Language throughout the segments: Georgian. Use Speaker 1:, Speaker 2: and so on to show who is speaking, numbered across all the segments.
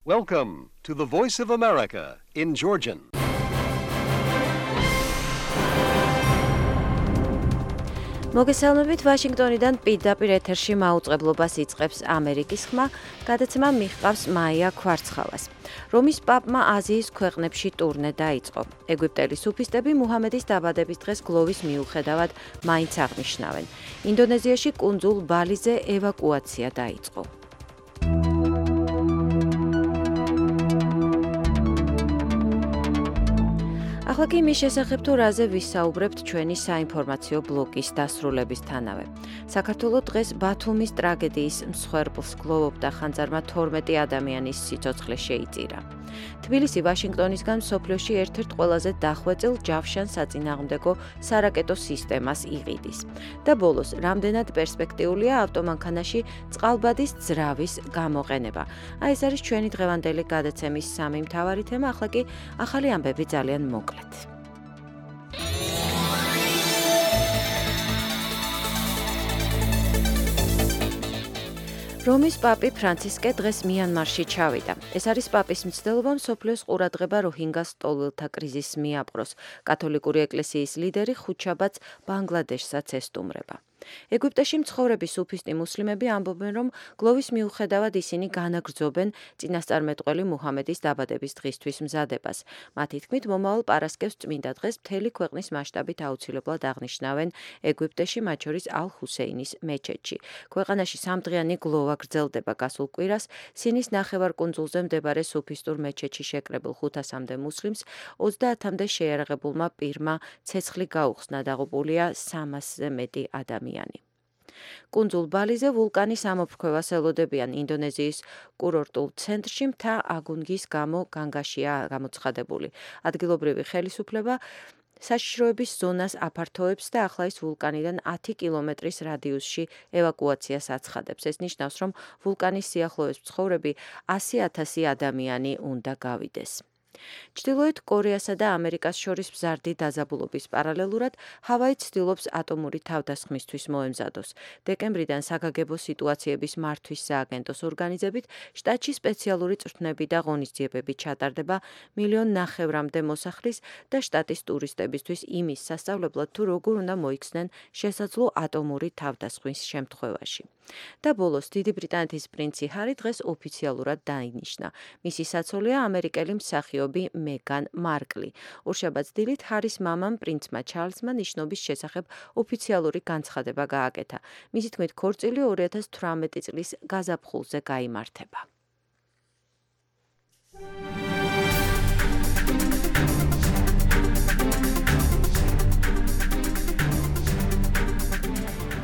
Speaker 1: Welcome to the Voice of America in Georgian.
Speaker 2: მოგესალმებით ვაშინგტონიდან პირდაპირ ეთერში მაუწყებლობას იწყებს ამერიკის ხმა, გადაცემა მიჰყავს მაია ქვარცხალას. რომის პაპმა აზიის ქვეყნებში ტურნე დაიწყო. ეგვიპტელი სუფისტები მუჰამედის დაბადების დღეს გლოვის მიუხედავად მაინც აღნიშნავენ. ინდონეზიაში კუნძულ ბალიზე ევაკუაცია დაიწყო. ახლა კი მის შესახებ თუ რაზე ვისაუბრებთ ჩვენი საინფორმაციო ბლოკის დასრულებისთანავე. საქართველოს დღეს ბათუმის ტრაგედიის მსხვერპლს გლოვობდა, ხანძარმა 12 ადამიანის სიცოცხლე შეიწირა. თბილისი ვაშინგტონისგან მსოფლიოში ერთ-ერთ ყველაზე დახვეწილ ჯავშან საწინააღმდეგო სარაკეტო სისტემას იყიდის. და ბოლოს, რამდენად პერსპექტიულია ავტომანქანაში წყალბადის ძრავის გამოყენება. ეს არის ჩვენი დღევანდელი გადაცემის სამი მთავარი თემა, ახლა კი ახალი ამბები ძალიან მოკლედ. რომის პაპი ფრანცისკე დღეს მიანმარში ჩავიდა. ეს არის პაპის მცდელობა მსოფლიოს ყურადღება როჰინგას ტოლელთა კრიზისს მიაპყროს. კათოლიკური ეკლესიის ლიდერი ხუთშაბათს ბანგლადეშსაც ესტუმრება. ეგვიპტეში მცხოვრები სუფისტი მუსლიმები ამბობენ, რომ გლოვის მიუხედავად ისინი განაგრძობენ წინასწარმეტყველი მუჰამედის დაბადების დღისთვის მზადებას. მათი თქმით, მომავალ პარასკევს წმინდა დღეს მთელი ქვეყნის მასშტაბით აუცილებლად აღნიშნავენ ეგვიპტეში, მათ შორის ალ-ჰუსეინის მეჩეთში. ქვეყანაში სამდღიანი გლოვა გრძელდება გასულ კვირას. სინის ნახევარკუნძულზე მდებარე სუფისტურ მეჩეთში შეკრებილ 500-მდე მუსლიმს 30-მდე შეიარაღებულმა პირმა ცეცხლი გაუხსნა, დაღუპულია 300-ზე მეტი ადამიანი. კუნძულ ბალიზე ვულკანის ამოფრქვევას ელოდებიან. ინდონეზიის კურორტულ ცენტრში მთა აგუნგის გამო განგაშია გამოცხადებული. ადგილობრივი ხელისუფლება საშიშროების ზონას აფართოებს და ახლა ის ვულკანიდან 10 კილომეტრის რადიუსში ევაკუაციას აცხადებს. ეს ნიშნავს, რომ ვულკანის სიახლოვეს მცხოვრები 100,000 ადამიანი უნდა გავიდეს. ჩრდილოეთ კორეასა და ამერიკას შორის მზარდი დაძაბულობის პარალელურად ჰავაი ცდილობს ატომური თავდასხმისთვის მოემზადოს. დეკემბრიდან საგაგებო სიტუაციების მართვის სააგენტოს ორგანიზებით შტატში სპეციალური წვრთნები და ღონისძიებები ჩატარდება 1,5 მილიონამდე მოსახლის და შტატის ტურისტებისთვის იმის სასწავლებლად, თუ როგორ უნდა მოიქცნენ შესაძლო ატომური თავდასხმის შემთხვევაში. და ბოლოს, დიდი ბრიტანეთის პრინცი ჰარი დღეს ოფიციალურად დაინიშნა. მისი საცოლეა ამერიკელი მსახიობი მეგან მარკლი. ორშაბათს დილით ჰარის მამამ პრინცმა ჩარლზმა ნიშნობის შესახებ ოფიციალური განცხადება გააკეთა. მისი თქმით, ქორწილი 2018 წლის გაზაფხულზე გაიმართება.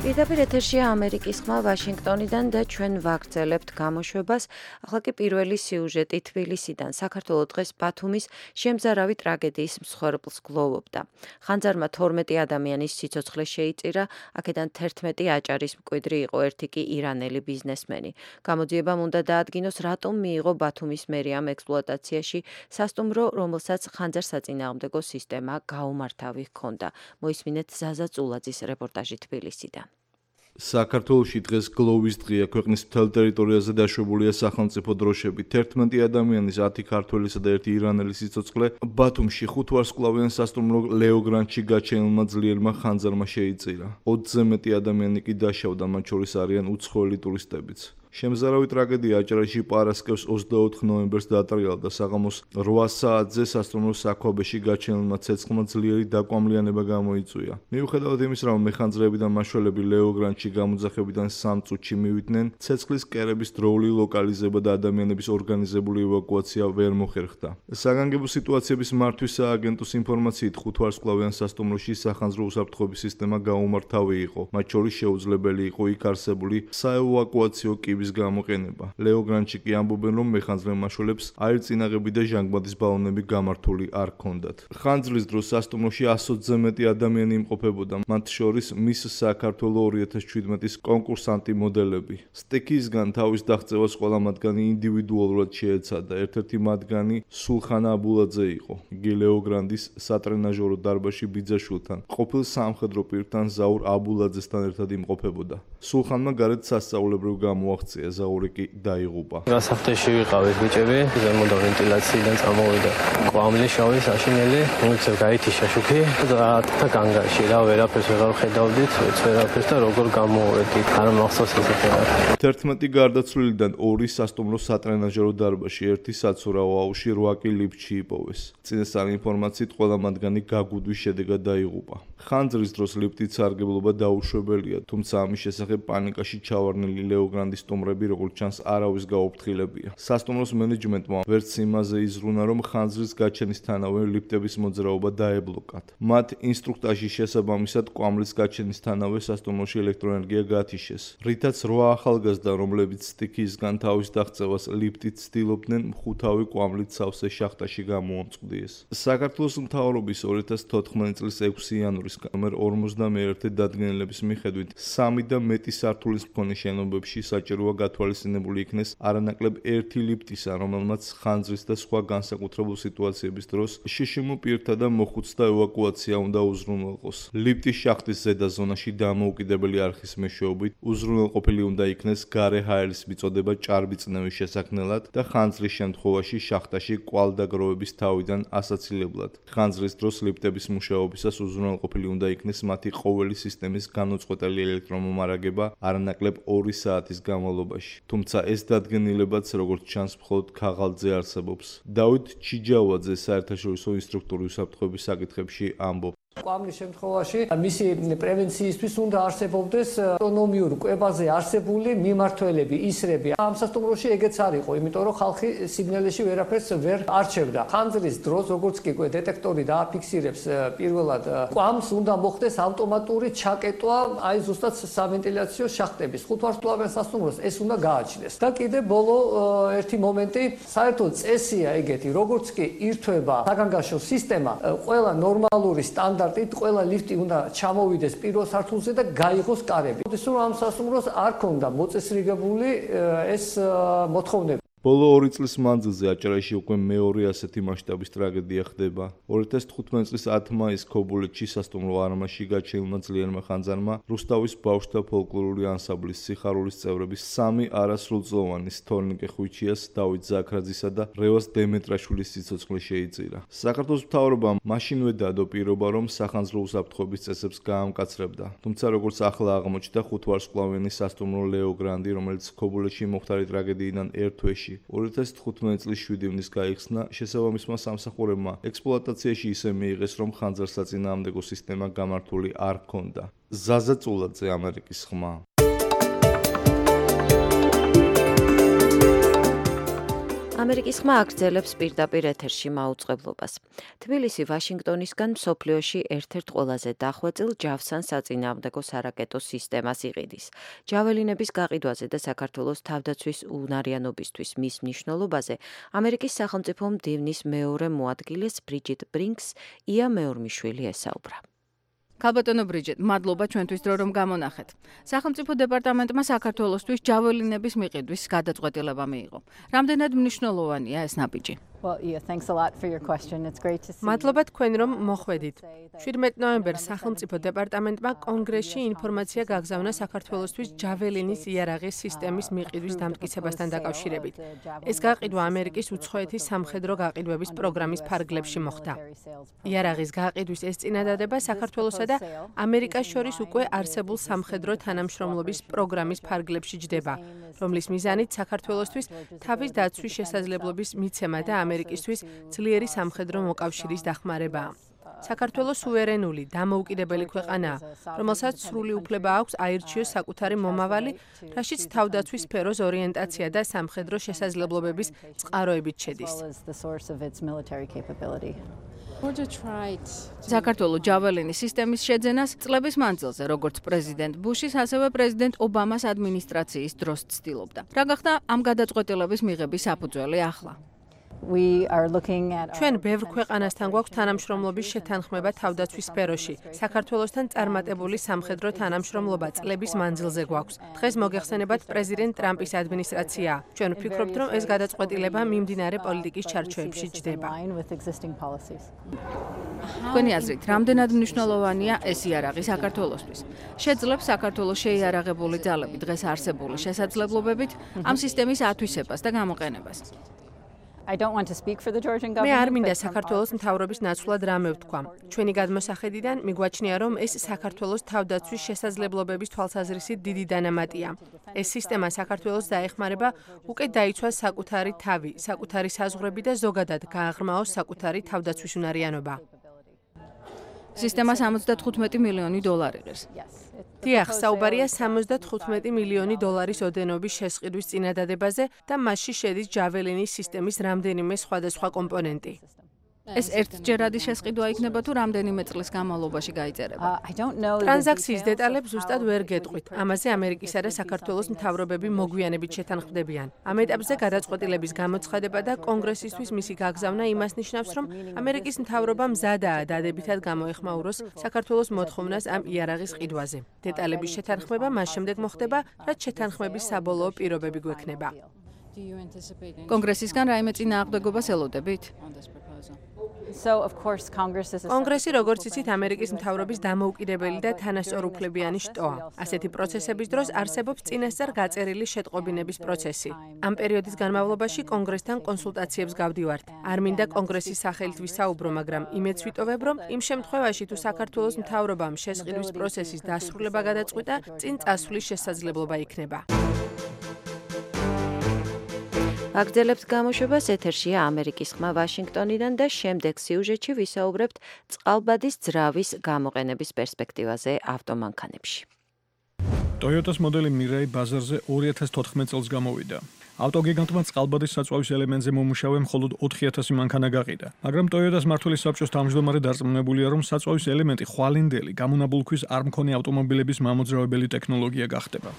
Speaker 2: პირდაპირ ეთერშია ამერიკის ხმა ვაშინგტონიდან და ჩვენ ვაგრძელებთ გამოშვებას. ახლა კი პირველი სიუჟეტი თბილისიდან. საქართველოს დღეს ბათუმის შემზარავი ტრაგედიის მსხვერპლს გლოვობდა. ხანძარმა 12 ადამიანის სიცოცხლე შეიწირა, აქედან 11 აჭარის მკვიდრი იყო, ერთი კი ირანელი ბიზნესმენი. გამოძიებამ უნდა დაადგინოს, რატომ მიიღო ბათუმის მერიამ ექსპლუატაციაში სასტუმრო, რომელსაც ხანძარსაწინააღმდეგო სისტემა გაუმართავი ჰქონდა. მოისმინეთ ზაზა წულაძის რეპორტაჟი თბილისიდან.
Speaker 3: საქართველოში დღეს გლოვის დღეა. ქვეყნის მთელ ტერიტორიაზე დაშვებულია სახელმწიფო დროშები. 11 ადამიანის 10 ქართველისა და 1 ირანელის სიცოცხლე ბათუმში ხუთვარსკვლავიან სასტუმრო ლეო გრანდში გაჩენილმა ძლიერმა ხანძარმა შეიწირა. 20-ზე მეტი ადამიანი კი დაშავდა, მათ შორის არიან უცხოელი ტურისტებიც. შემზარავი ტრაგედია აჭარაში პარასკევს 24 ნოემბერს დაატრიალდა. საღამოს 8 საათზე სასტუმროს საქვაბეში გაჩენილმა ცეცხლმა ძლიერი დაკვამლიანება გამოიწვია. მიუხედავად იმისა, რომ მეხანძრეები და მაშველები ლეო გრანდში გამოძახებიდან 3 წუთში მივიდნენ, ცეცხლის კერების დროული ლოკალიზება და ადამიანების ორგანიზებული ევაკუაცია ვერ მოხერხდა. საგანგებო სიტუაციების მართვის სააგენტოს ინფორმაციით, ხუთვარსკვლავიან სასტუმროში სახანძრო უსაფრთხოების სისტემა გაუმართავი იყო. მათ შორის შეუძლებელი იყო იქ არსებული საევაკუაციო კიბის გამოყენება. ლეო გრანდში კი ამბობენ, რომ მეხანძრე მაშველებს აირწინაღები და ჟანგბადის ბალონები გამართული არ ჰქონდათ. ხანძრის დროს სასტუმროში 120-ზე მეტი ადამიანი იმყოფებოდა, მათ შორის მის საქართველოს 2017-ის კონკურსანტი მოდელები. სტექისგან თავის დაღწევას ყველა მათგანი ინდივიდუალურად შეეცადა. ერთ-ერთი მათგანი სულხანა აბულაძე იყო. იგი ლეო გრანდის სატრენაჟორო დარბაზში ბიძაშვილთან, ყოფილ სამხედრო პირთან ზაურ აბულაძესთან ერთად იმყოფებოდა. სულხანმა გარეთ სასწაულებრივ გამოაღწია რეაქცია, ზაური კი დაიღუპა.
Speaker 4: გასახდეში ვიყავით ბიჭები, ზემოდან ვენტილაციიდან წამოვიდა კვამლი შავი საშინელი, მოიწევ გაითიშა შუქი და განგაში რა ვერაფერს ვეღარ ხედავდით, ვერაფერს და როგორ გამოვედით, არ მახსოვს ესეთი რა.
Speaker 3: 11 გარდაცვლილიდან 2 სასტუმრო სატრენაჟერო დარბაზში, 1 საცურაო აუზში, 8 კი ლიფტში იპოვეს. წინასწარი ინფორმაციით ყველა მათგანი გაგუდვის შედეგად დაიღუპა. ხანძრის დროს ლიფტით სარგებლობა დაუშვებელია, თუმცა ამის შესახებ პანიკაში ჩავარდნილი ლეოგრანდის სტუმრები, როგორც ჩანს, არავის გაუფრთხილებია. სასტუმროს მენეჯმენტმა ვერც იმაზე იზრუნა, რომ ხანძრის გაჩენისთანავე ლიფტების მოძრაობა დაებლოკათ. მათ ინსტრუქტაჟის შესაბამისად კვამლის გაჩენისთანავე სასტუმროში ელექტროენერგია გათიშეს, რითაც 8 ახალგაზრდა, რომლებიც სტიქიისგან თავის დაღწევას ლიფტით ცდილობდნენ, მხუთავი კვამლით სავსე შახტაში გამოამწყვდიეს. საქართველოს მთავრობის 2014 წლის 6 იანვრის ნომერ 51 დადგენილების მიხედვით 3 და მეტი სართულის მქონე შენობებში საჭიროა გათვალისწინებული იქნეს არანაკლებ 1 ლიფტისა, რომელმაც ხანძრის და სხვა განსაკუთრებულ სიტუაციების დროს შშმ პირთა და მოხუცთა ევაკუაცია უნდა უზრუნველყოს. ლიფტის შახტის ზედა ზონაში დამოუკიდებელი არხის მეშვეობით უზრუნველყოფილი უნდა იქნეს გარე ჰაერის მიწოდება ჭარბიწნევის შესაქმნელად და ხანძრის შემთხვევაში შახტაში კვალდაგროვების თავიდან ასაცილებლად. ხანძრის დროს ლიფტების მუშაობისას უზრუნველყოფილი უნდა იქნეს მათი ყოველი სისტემის განუწყვეტელი ელექტრომომარაგება არანაკლებ 2 საათის განმავლობაში. თუმცა ეს დადგენილებაც, როგორც ჩანს, მხოლოდ ქაღალდზე არსებობს. დავით ჩიჯავაძე საერთაშორისო ინსტრუქტორი უსაფრთხოების საკითხებში ამბობს.
Speaker 5: კვამლის შემთხვევაში მისი პრევენციისთვის უნდა არსებობდეს ავტონომიურ კვებაზე არსებული მიმართველები, ისრები. ამ სასტუმროში ეგეც არ იყო, იმიტომ რომ ხალხი სიგნალებში ვერაფერს ვერ არჩევდა. ხანძრის დროს, როგორც კი დეტექტორი დააფიქსირებს პირველად კვამს, უნდა მოხდეს ავტომატური ჩაკეტვა აი ზუსტად სავენტილიაციო შახტების. ხუთვარსკვლავიან სასტუმროს ეს უნდა გააჩნდეს. და კიდე ბოლო ერთი მომენტი, საერთოდ წესია ეგეთი, როგორც კი ირთვება საგანგაშო სისტემა, ყველა ნორმალური სტანდარტი ყველა ლიფტი უნდა ჩამოვიდეს პირველ სართულზე და გაიღოს კარები. ისე რომ ამ სასტუმროს არ ქონდა მოწესრიგებული ეს მოთხოვნები.
Speaker 3: ბოლო 2 წლის მანძილზე აჭარაში უკვე მეორე ასეთი მასშტაბის ტრაგედია ხდება. 2015 წლის 10 მაისს ქობულეთში სასტუმრო არმაში გაჩენილმა ძლიერმა ხანძარმა რუსთავის ბავშვთა ფოლკლორული ანსამბლის სიხარულის წევრების 3 არასრულწლოვანი თორნიკე ხვიჩიას, დავით ზაქრაძისა და რევაზ დემეტრაშვილის სიცოცხლე შეიწირა. საქართველოს მთავრობამ მაშინვე დადო პირობა, რომ სახანძრო უსაფრთხოების წესებს გაამკაცრებდა. თუმცა როგორც ახლა აღმოჩნდა, ხუთვარსკვლავიანი სასტუმრო ლეო გრანდი, რომელიც ქობულეთში მოხდარი ტრაგედიიდან ერთ თვეში 2015 წლის 7 ივნისს გაიხსნა, შესაბამისმა სამსახურებმა ექსპლუატაციაში ისე მიიღეს, რომ ხანძარსაწინააღმდეგო სისტემა გამართული არ ჰქონდა. ზაზა წულაძე, ამერიკის ხმა.
Speaker 2: ამერიკის ხმა აგრძელებს პირდაპირ ეთერში მაუწყებლობას. თბილისი ვაშინგტონისგან მსოფლიოში ერთ-ერთ ყველაზე დახვეწილ ჯავსან საწინააღმდეგო სარაკეტო სისტემას იყიდის. ჯაველინების გაყიდვაზე და საქართველოს თავდაცვის უნარიანობისთვის მის მნიშვნელობაზე ამერიკის სახელმწიფო მდივნის მეორე მოადგილეს ბრიჯიტ ბრინკს ია მეორმიშვილი ესაუბრა.
Speaker 6: ქალბატონო ბრიჯიტ, მადლობა ჩვენთვის დრო რომ გამონახეთ. სახელმწიფო დეპარტამენტმა საქართველოსთვის ჯაველინების მიყიდვის გადაწყვეტილება მიიღო. რამდენად მნიშვნელოვანია ეს ნაბიჯი?
Speaker 7: მადლობა თქვენ რომ მოხვედით. 17 ნოემბერს სახელმწიფო დეპარტამენტმა კონგრესში ინფორმაცია გაგზავნა საქართველოსთვის ჯაველინის იარაღის სისტემის მიყიდვის დამტკიცებასთან დაკავშირებით. ეს გაყიდვა ამერიკის უცხოეთის სამხედრო გაყიდვების პროგრამის ფარგლებში მოხდა. იარაღის გაყიდვის ეს წინადადება საქართველოსა და ამერიკას შორის უკვე არსებულ სამხედრო თანამშრომლობის პროგრამის ფარგლებში ჯდება, რომლის მიზანით საქართველოსთვის თავის დაცვის შესაძლებლობის მიცემა და ამერიკისთვის ძლიერი სამხედრო მოკავშირის დახმარებაა. საქართველოს სუვერენული, დამოუკიდებელი ქვეყანაა, რომელსაც სრული უფლება აქვს აირჩიოს საკუთარი მომავალი, რაშიც თავდაცვის სფეროს ორიენტაცია და სამხედრო შესაძლებლობების წყაროებით შედის.
Speaker 6: საქართველოს ჯაველინის სისტემის შეძენას წლების მანძილზე, როგორც პრეზიდენტ ბუშის, ასევე პრეზიდენტ ობამას ადმინისტრაციის დროს ცდილობდა. რა გახდა ამ გადაწყვეტილების მიღების საფუძველი ახლა?
Speaker 7: ჩვენ ბევრ ქვეყანასთან გვაქვს თანამშრომლობის შეთანხმება თავდაცვის სფეროში. საქართველოსთან წარმატებული სამხედრო თანამშრომლობა წლების მანძილზე გვაქვს. დღეს მოგეხსენებათ პრეზიდენტ ტრამპის ადმინისტრაციაა. ჩვენ ვფიქრობთ, რომ ეს გადაწყვეტილება მიმდინარე პოლიტიკის ჩარჩოებში ჯდება.
Speaker 6: თქვენი აზრით, რამდენად მნიშვნელოვანია ეს იარაღი საქართველოსთვის? შეძლებს საქართველოს შეიარაღებული ძალები დღეს არსებული შესაძლებლობებით ამ სისტემის ათვისებას და გამოყენებას?
Speaker 7: მე არ მინდა საქართველოს მთავრობის ნაცვლად რამე ვთქვა. ჩვენი გადმოსახედიდან მიგვაჩნია, რომ ეს საქართველოს თავდაცვის შესაძლებლობების თვალსაზრისით დიდი დანამატია. ეს სისტემა საქართველოს დაეხმარება უკეთ დაიცვას საკუთარი თავი, საკუთარი საზღვრები და ზოგადად გააღრმაოს საკუთარი თავდაცვის უნარიანობა.
Speaker 6: სისტემა 75 მილიონი დოლარი ღირს.
Speaker 7: დიახ, საუბარია 75 მილიონი დოლარის ოდენობის შესყიდვის წინადადებაზე და მასში შედის ჯაველინის სისტემის რამდენიმე სხვადასხვა კომპონენტი.
Speaker 6: ეს ერთჯერადი შესყიდვა იქნება თუ რამდენიმე წლის განმავლობაში გაიწერება?
Speaker 7: ტრანზაქციის დეტალებს ზუსტად ვერ გეტყვით. ამაზე ამერიკისა და საქართველოს მთავრობები მოგვიანებით შეთანხმდებიან. ამ ეტაპზე გადაწყვეტილების გამოცხადება და კონგრესისთვის მისი გაგზავნა იმას ნიშნავს, რომ ამერიკის მთავრობა მზადაა დადებითად გამოეხმაუროს საქართველოს მოთხოვნას ამ იარაღის ყიდვაზე. დეტალების შეთანხმება მას შემდეგ მოხდება, რაც შეთანხმების საბოლოო პირობები გვექნება.
Speaker 6: კონგრესისგან რაიმე წინააღმდეგობას ელოდებით?
Speaker 7: კონგრესი, როგორც იცით, ამერიკის მთავრობის დამოუკიდებელი და თანასწორუფლებიანი შტოა. ასეთი პროცესების დროს არსებობს წინასწარ გაწერილი შეტყობინების პროცესი. ამ პერიოდის განმავლობაში კონგრესთან კონსულტაციებს გავდივართ. არ მინდა კონგრესის სახელით ვისაუბრო, მაგრამ იმედს ვიტოვებ, რომ იმ შემთხვევაში თუ საქართველოს მთავრობამ შესყიდვის პროცესის დასრულება გადაწყვიტა, წინ წასვლის შესაძლებლობა იქნება.
Speaker 2: აგრძელებთ გამოშვებას ეთერშია ამერიკის ხმა ვაშინგტონიდან და შემდეგ სიუჟეტში ვისაუბრებთ წყალბადის ძრავის გამოყენების პერსპექტივაზე ავტომანქანებში.
Speaker 8: Toyota's მოდელი Mirai ბაზარზე 2014 წელს გამოვიდა. ავტოგიგანტმა წყალბადის საწვავის ელემენტზე მომუშავე მხოლოდ 4000 მანქანა გაყიდა, მაგრამ Toyota's მმართველი საბჭოს თავმჯდომარე დარწმუნებულია, რომ საწვავის ელემენტი ხვალინდელი გამონაბოლქვის არ მქონე ავტომობილების მამოძრავებელი ტექნოლოგია გახდება.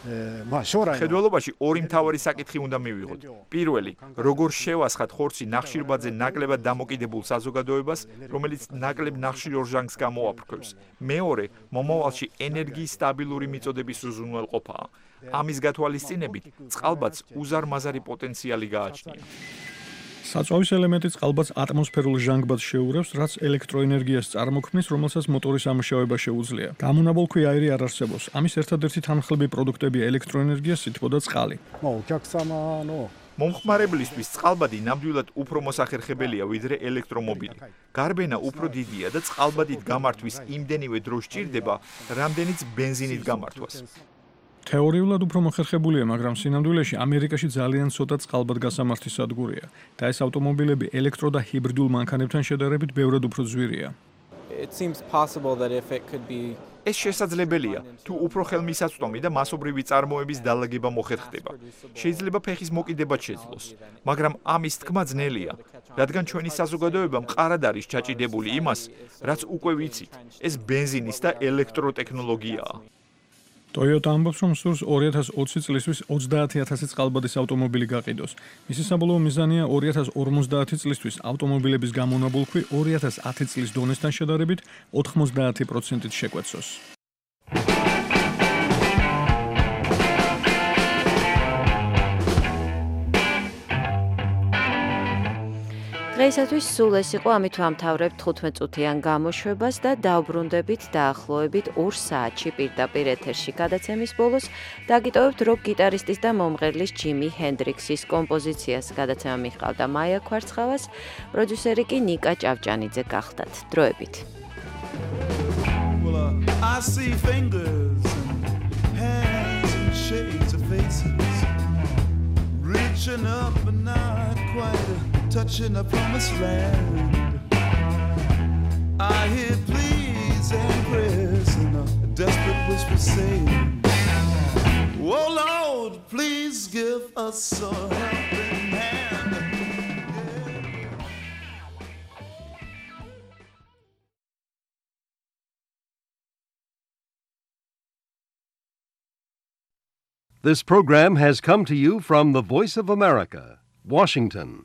Speaker 9: Ხედველობაში ორი მთავარი საკითხი უნდა მივიღოთ. პირველი, როგორ შევასხათ ხორცი ნახშირბადზე ნაკლებად დამოკიდებულ საზოგადოებას, რომელიც ნაკლებ ნახშირ ორჟანგს გამოაფრქვევს. მეორე, მომავალში ენერგიის სტაბილური მიწოდების უზრუნველყოფაა. ამის გათვალისწინებით წყალბადს უზარმაზარი პოტენციალი გააჩნია.
Speaker 8: საწვავის ელემენტი წყალბადს ატმოსფერულ ჟანგბადს შეურევს, რაც ელექტროენერგიას წარმოქმნის, რომელსაც მოტორის ამუშავება შეუძლია. გამონაბოლქვი აირი არ არსებობს. ამის ერთადერთი თანმხლები პროდუქტებია ელექტროენერგია, სითბო და წყალი.
Speaker 9: მომხმარებლისთვის წყალბადი ნამდვილად უფრო მოსახერხებელია ვიდრე ელექტრომობილი. გარბენა უფრო დიდია და წყალბადით გამართვის იმდენივე დრო სჭირდება, რამდენიც ბენზინით გამართვას.
Speaker 8: თეორიულად უფრო მოხერხებულია, მაგრამ სინამდვილეში ამერიკაში ძალიან ცოტა წყალბად გასამართი სადგურია და ეს ავტომობილები ელექტრო და ჰიბრიდულ მანქანებთან შედარებით ბევრად უფრო ძვირია.
Speaker 9: ეს შესაძლებელია, თუ უფრო ხელმისაწვდომი და მასობრივი წარმოების დალაგება მოხერხდება. შეიძლება ფეხის მოკიდებაც შეძლოს, მაგრამ ამის თქმა ძნელია, რადგან ჩვენი საზოგადოება მყარად არის ჩაჭიდებული იმას, რაც უკვე ვიცით, ეს ბენზინის და ელექტროტექნოლოგიაა.
Speaker 8: Toyota ამბობს, რომ სურს 2020 წლისთვის 30000 წყალბადის ავტომობილი გაყიდოს. მისი საბოლოო მიზანია 2050 წლისთვის ავტომობილების გამონაბოლქვი 2010 წლის დონესთან შედარებით 90%-ით შეკვეცოს.
Speaker 2: დღეისათვის სულ ეს იყო, ამით ვამთავრებთ 15 წუთიან გამოშვებას და დავბრუნდებით დაახლოებით 2 საათში პირდაპირ ეთერში გადაცემის ბოლოს დაგიტოვებთ როკ გიტარისტის და მომღერლის ჯიმი ჰენდრიქსის კომპოზიციას. გადაცემა მიჰყავდა მაია ქვარცხავას, პროდიუსერი კი ნიკა ჭავჭანიძე გახდათ. დროებით.
Speaker 10: Touching a promised land. I hear pleas and prayers and a desperate whisper saying, oh Lord, please give us a helping hand.
Speaker 1: This program has come to you from the Voice of America, Washington.